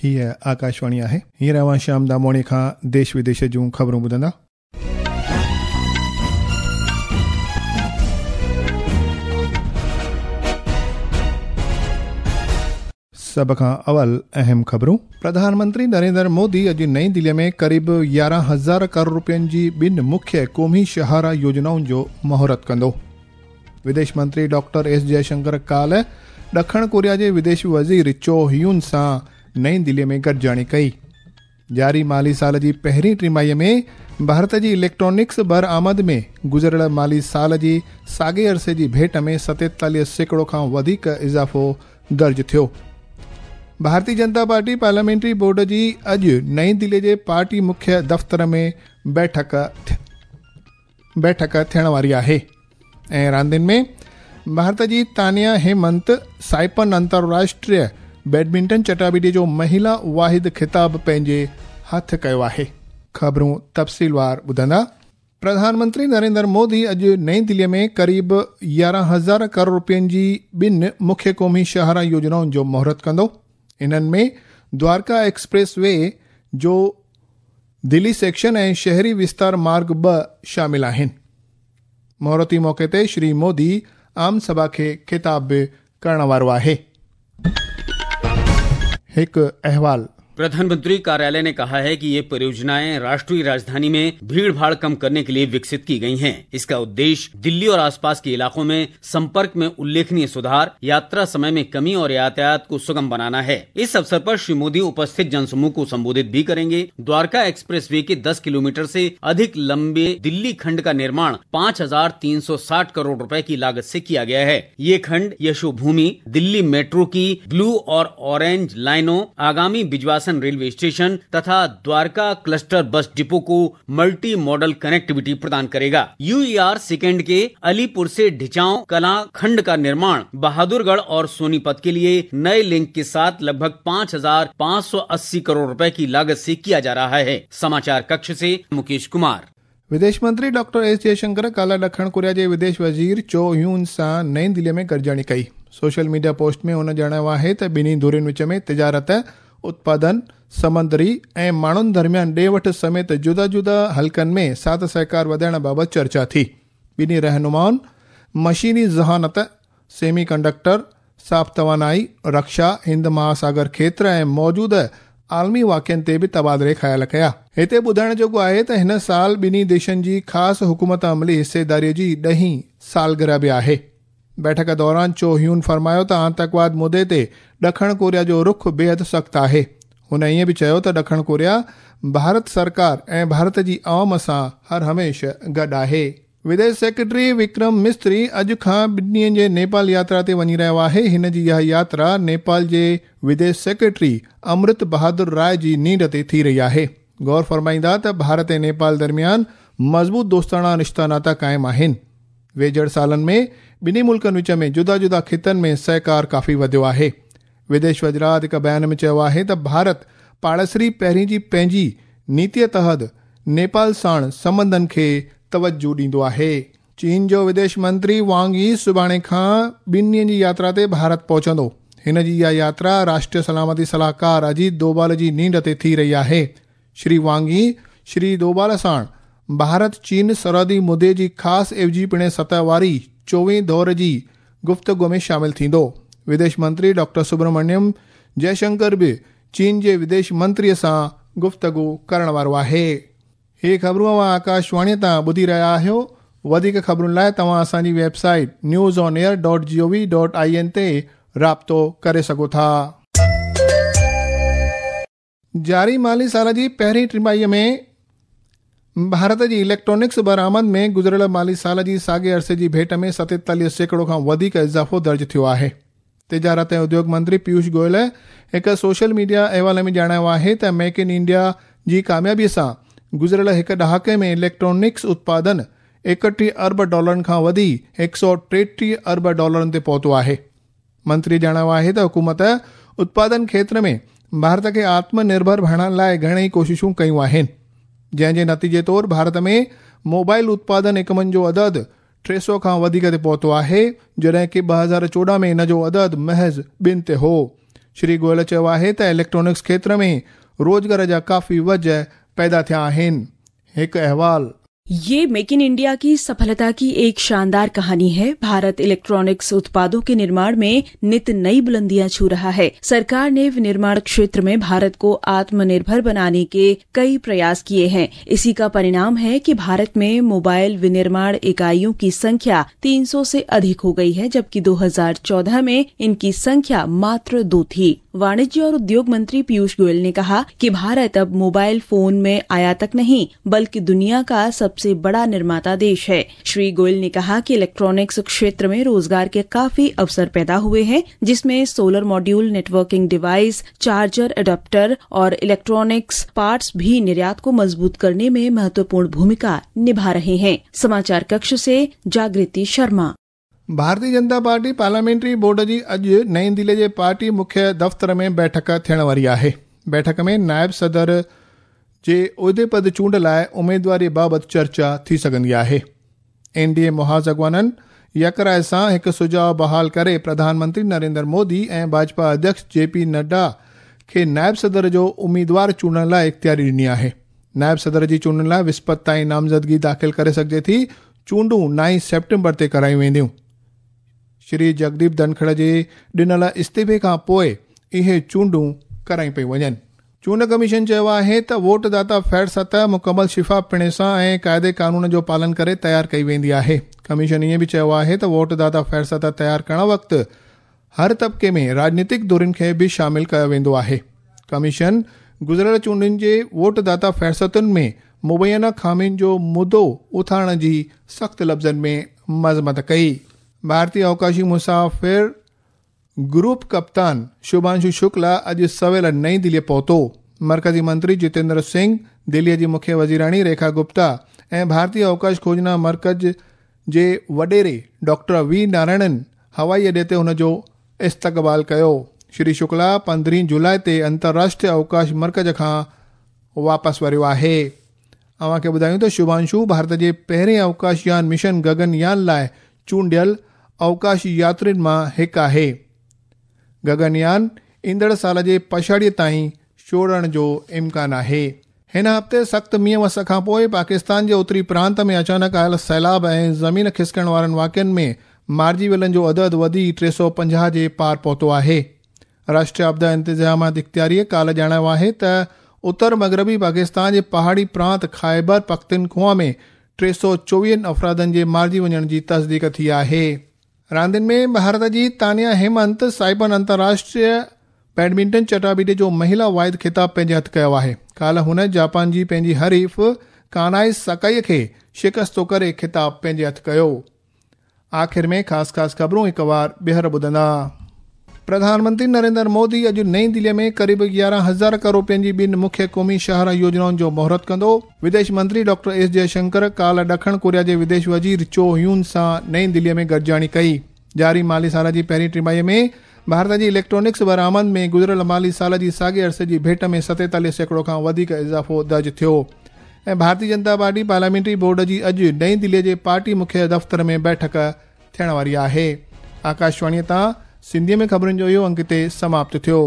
هيء آڪاشواڻي آهي. هينئر اوهان شيام داموڻي کان ديش وديش جون خبرون ٻڌندا. سڀ کان اول اهم خبرون. پرڌان منتري نريندر مودي اڄ نئين دهلي ۾ قريب 11,000 ڪروڙ روپين جي ٻن مکيه قومي شاهراهه يوجنائن جو مهورت ڪندو. وديش منتري ڊاڪٽر ايس جئشنڪر ڪالهه ڏکڻ ڪوريا جي وديش وزير چو هيون سان نئين دهلي ۾ گڏجاڻي ڪئي. جاري مالي سال جي پهرين ٽماهي ۾ ڀارت جي اليڪٽرانڪس برآمد ۾ گذريل مالي سال جي ساڳئي عرصي جي ڀيٽ ۾ 47% کان وڌيڪ اضافو درج ٿيو. ڀارتي جنتا پارٽي پارليامينٽري بورڊ جي اڄ نئين دهلي جي پارٽي مکيه دفتر ۾ بيٺڪ بيٺڪ ٿيڻ واري آهي ۽ راندين ۾ ڀارت جي تانيا هيمنت سائپن انترراشٽريه بيڊمنٽن چٽاڀيٽي جو مهيلا واحد خطاب پنهنجي هٿ ڪيو آهي. خبرون تفصيلوار ٻڌندا. پرڌان منتري نريندر مودي اڄ نئين دهلي ۾ قريب 11,000 ڪروڙ روپين جي ٻن مکيه قومي شاهراهه يوجنائن جو مهورت ڪندو. انهن ۾ دوارڪا ايڪسپريس وي جو دلي سيڪشن ۽ شهري وستار مارگ 2 شامل آهن. مهورتي موقعي تي شري مودي عام سڀا کي خطاب به ڪرڻ وارو آهي. هڪ احوال. प्रधानमंत्री कार्यालय ने कहा है कि ये परियोजनाएं राष्ट्रीय राजधानी में भीड़ भाड़ कम करने के लिए विकसित की गई हैं। इसका उद्देश्य दिल्ली और आसपास के इलाकों में संपर्क में उल्लेखनीय सुधार, यात्रा समय में कमी और यातायात को सुगम बनाना है। इस अवसर पर श्री मोदी उपस्थित जनसमूह को संबोधित भी करेंगे। द्वारका एक्सप्रेस वे के 10 किलोमीटर से अधिक लंबे दिल्ली खंड का निर्माण 5,360 करोड़ रुपए की लागत से किया गया है। ये खंड यशोभूमि, दिल्ली मेट्रो की ब्लू और ऑरेंज लाइनों, आगामी बिजवासन रेलवे स्टेशन तथा द्वारका क्लस्टर बस डिपो को मल्टी मॉडल कनेक्टिविटी प्रदान करेगा। यूईआर सेकेंड के अलीपुर से ढिचाव कला खंड का निर्माण बहादुरगढ़ और सोनीपत के लिए नए लिंक के साथ लगभग 5,580 करोड़ रुपए की लागत से किया जा रहा है। समाचार कक्ष से मुकेश कुमार। विदेश मंत्री डॉक्टर एस जयशंकर काल्ह ॾखण कोरिया जे विदेश वज़ीर चो ह्यून सां नई दिल्लीअ में गॾिजाणी कई। सोशल मीडिया पोस्ट में हुन ॼाणायो आहे त ॿिन्ही धुरियुनि विच में तिजारत, उत्पादन, समंदरी ऐं माण्हुनि दरमियान ॾे वठ समेत जुदा जुदा हलकनि में साथ सहकार वधाइण बाबति चर्चा थी। ॿिन्ही रहनुमाउनि मशीनी ज़हानत, सेमी कंडक्टर, साफ़ तवानाई, रक्षा, हिंद महासागर क्षेत्र ऐं मौजूदा आलमी वाक़िअनि ते बि तबादले ख़्याल कया। हिते ॿुधाइण जोॻो आहे त हिन साल ॿिन्ही देशनि जी ख़ासि हुकूमत अमली हिस्सेदारीअ जी 10वीं सालगिरह बि आहे। बैठक दौरान चो ह्यून फरमायो त आतंकवाद मुद्दे ते ॾखण कोरिया जो रुख बेहद सख़्तु आहे। हुन ईअं बि चयो त ॾखण कोरिया भारत सरकार ऐं भारत जी अवाम सां हर हमेशह गॾु आहे। विदेश सेक्रेटरी विक्रम मिस्त्री अॼु खां 2 ॾींहनि जे नेपाल यात्रा ते वञी रहियो आहे। हिन जी इहा यात्रा नेपाल जे विदेश सेक्रेटरी अमृत बहादुर राय जी नींड ते थी रही आहे। गौर फरमाईंदा त भारत ऐं नेपाल दरमियान मज़बूत दोस्ताना रिश्ता नाता क़ाइमु आहिनि। वेझड़ सालनि में ॿिन्ही मुल्कनि विच में जुदा जुदा ख़ितनि में सहकार काफ़ी वधियो आहे। विदेश वज़ारत हिकु बयान में चयो आहे त भारत पाड़ेसरी पहिरीं जी पंहिंजी नीतीअ तहत नेपाल साण संबंधनि खे तवज्जो ॾींदो आहे। चीन जो विदेश मंत्री वांग यी सुभाणे खां 2 ॾींहनि जी यात्रा ते भारत पहुचंदो। हिन जी इहा यात्रा राष्ट्रीय सलामती सलाहकार अजीत डोभाल जी नींड ते थी रही आहे। श्री वांग यी श्री डोभाल साण भारत चीन सरहदी मुद्दे जी ख़ासि एवजी पिण सतह वारी 24 दौर जी गुफ़्तगू में शामिल थींदो। विदेश मंत्री डॉक्टर सुब्रमण्यम जयशंकर बि चीन जे विदेश मंत्रीअ सां गुफ़्तगू करण वारो आहे। हे ख़बरूं अव्हां आकाशवाणीअ तां ॿुधी रहिया आहियो। वधीक ख़बरुनि लाइ तव्हां असांजी वेबसाइट newsonair.gov.in ते राब्तो करे सघो था। जारी माली साल जी पहिरीं टिमाहीअ में भारत जी इलेक्ट्रॉनिक्स बरामद में गुज़िरियल माली साल जी साॻे अरसे जी भेट में 47% खां वधीक इज़ाफ़ो दर्ज थियो आहे। तिजारत ऐं उद्योग मंत्री पीयूष गोयल हिकु सोशल मीडिया अहवाल में ॼाणायो आहे त मेक इन इंडिया जी कामयाबीअ सां गुज़िरियल हिकु ॾहाके में इलेक्ट्रॉनिक्स उत्पादन 31 अरब डॉलरनि खां वधी 133 अरब डॉलरनि ते पहुतो आहे। मंत्री ॼाणायो आहे त हुकूमत उत्पादन क्षेत्र में भारत खे आत्मनिर्भर बणाइण लाइ घणेई कोशिशूं कयूं आहिनि, जंहिंजे नतीजे तौर भारत में मोबाइल उत्पादन इकमनि जो अदद 300 खां वधीक ते पहुतो आहे, जॾहिं की 2014 में इन जो अदद महज़ 2 ते हो। شري گويل چيو آهي ته اليڪٽرانڪس کيتر ۾ روزگار جا ڪافي وجهه پيدا ٿيا آهن. هڪ احوال. ये मेक इन इंडिया की सफलता की एक शानदार कहानी है। भारत इलेक्ट्रॉनिक्स उत्पादों के निर्माण में नित नई बुलंदियां छू रहा है। सरकार ने विनिर्माण क्षेत्र में भारत को आत्मनिर्भर बनाने के कई प्रयास किए हैं। इसी का परिणाम है कि भारत में मोबाइल विनिर्माण इकाइयों की संख्या 300 से अधिक हो गई है, जबकि 2014 में इनकी संख्या मात्र 2 थी। वाणिज्य और उद्योग मंत्री पीयूष गोयल ने कहा कि भारत अब मोबाइल फोन में आयातक नहीं बल्कि दुनिया का सबसे बड़ा निर्माता देश है। श्री गोयल ने कहा कि इलेक्ट्रॉनिक्स क्षेत्र में रोजगार के काफी अवसर पैदा हुए हैं, जिसमें solar module, networking device, charger, adapter और इलेक्ट्रॉनिक्स पार्ट्स भी निर्यात को मजबूत करने में महत्वपूर्ण भूमिका निभा रहे हैं। समाचार कक्ष से जागृति Sharma. Bharatiya Janata party parliamentary board जी अॼु नई दिल्ली जे पार्टी मुख्य दफ़्तर में बैठक थियण वारी आहे। बैठक में नायब सदर जे उहिदे पद चूंड लाइ उमेदवारी बाबति चर्चा थी सघंदी आहे। एन डी ए मुहाज़ अॻवाननि यकराय सां हिकु सुझाउ बहाल करे प्रधानमंत्री नरेंद्र मोदी ऐं भाजपा अध्यक्ष जे पी नड्डा खे नायब सदर जो उम्मीदवार चूंडण लाइ इख़्तियारी ॾिनी आहे। नायब सदर जी चूंडण लाइ विस्पति ताईं नामज़दगी दाख़िल करे सघिजे थी। चूंडूं 9 सेप्टेम्बर ते करायूं वेंदियूं। श्री जगदीप धनखड़ जे ॾिनल इस्तीफ़े खां पोइ इहे चूंडूं करायूं पयूं वञनि। चूंड कमीशन चयो आहे त वोटदाता फहरिस्त मुकमल शिफ़ाफ़पणे सां ऐं क़ाइदे कानून जो पालन करे तयार कई वेंदी आहे। कमीशन ईअं बि चयो आहे त वोटदाता फहरिस्त तयार करण वक़्तु हर तबिके में राजनीतिक धुरियुनि खे बि शामिल कयो वेंदो आहे। कमीशन गुज़िरियल चूंडुनि जे वोटदाता फहरिस्तुनि में मुबैना ख़ामियुनि जो मुद्दो उथारण जी सख़्त लफ़्ज़नि में मज़मत कई। भारतीय अवकाशी मुसाफ़िर ग्रुप कप्तान शुभांशु शुक्ला अॼु सवेल नई दिल्लीअ पहुतो। मर्कज़ी मंत्री जितेंद्र सिंह, दिल्लीअ जी मुख्य वज़ीराणी रेखा गुप्ता ऐं भारतीय अवकाश खोजना मर्कज़ जे वॾेरे डॉक्टर वी नारायणन हवाई अॾे ते हुन जो इस्तक़बाल कयो। श्री शुक्ला 15 जुलाई ते अंतर्राष्ट्रीय अवकाश मर्कज़ खां वापसि वरियो आहे। अव्हांखे ॿुधायूं त शुभांशु भारत जे पहिरें अवकाशयान मिशन गगनयान लाइ चूंडियल अवकाश यात्रियुनि मां हिकु आहे। गगनयान ईंदड़ साल जे पछाड़ीअ ताईं छोड़ण जो इम्कान आहे। हिन हफ़्ते सख़्तु मींहं वस खां पोइ पाकिस्तान जे उत्तरी प्रांत में अचानक आयल सैलाब ऐं ज़मीन खिसकण वारनि वाक़िअनि में मारिजी वियलनि जो अदद वधी 350 जे पार पहुतो आहे। राष्ट्रीय आपदा इंतज़ाम इख़्तियारीअ काल्ह ॼाणायो आहे त उत्तर मग़रबी पाकिस्तान जे पहाड़ी प्रांत ख़ाइबर पख्तूनख्वा में 324 अफ़रादनि जे मारिजी वञण जी तस्दीक थी आहे। रांदियुनि में भारत जी तानिया हेमंत साइपन अंतर्राष्ट्रीय बैडमिंटन चटाबीटे जो महिला वाहिद ख़िताब पंहिंजे हथु कयो आहे। काल्ह हुन जापान जी पंहिंजी हरीफ़ कानाई सकाई खे शिकस्तो करे ख़िताब पंहिंजे हथु कयो। आख़िर में ख़ासि ख़ासि ख़बरूं हिकु वार ॿीहर ॿुधंदा। प्रधानमंत्री नरेंद्र मोदी अॼु नई दिल्लीअ में क़रीबु 11,000 करोड़ रुपयनि जी ॿिनि मुख्य क़ौमी शाहराह योजनाउनि जो मुहूर्त कंदो। विदेश मंत्री डॉक्टर एस जयशंकर काल्ह ॾखण कोरिया जे विदेश वज़ीर चो ह्यून सां नई दिल्लीअ में गॾिजाणी कई। जारी माली साल जी पहिरीं टिमाहीअ में भारत जी इलेक्ट्रॉनिक्स बरामद में गुज़िरियल माली साल जी साॻे अरसे जी भेंट में 47% खां वधीक इज़ाफ़ो दर्ज थियो। ऐं Bharatiya Janata party parliamentary board जी अॼु नई दिल्लीअ जे पार्टी मुख्य दफ़्तर में बैठक थियण वारी आहे। आकाशवाणीअ तां सिंधीअ में ख़बरुनि जो इहो अंक हिते समाप्त थियो।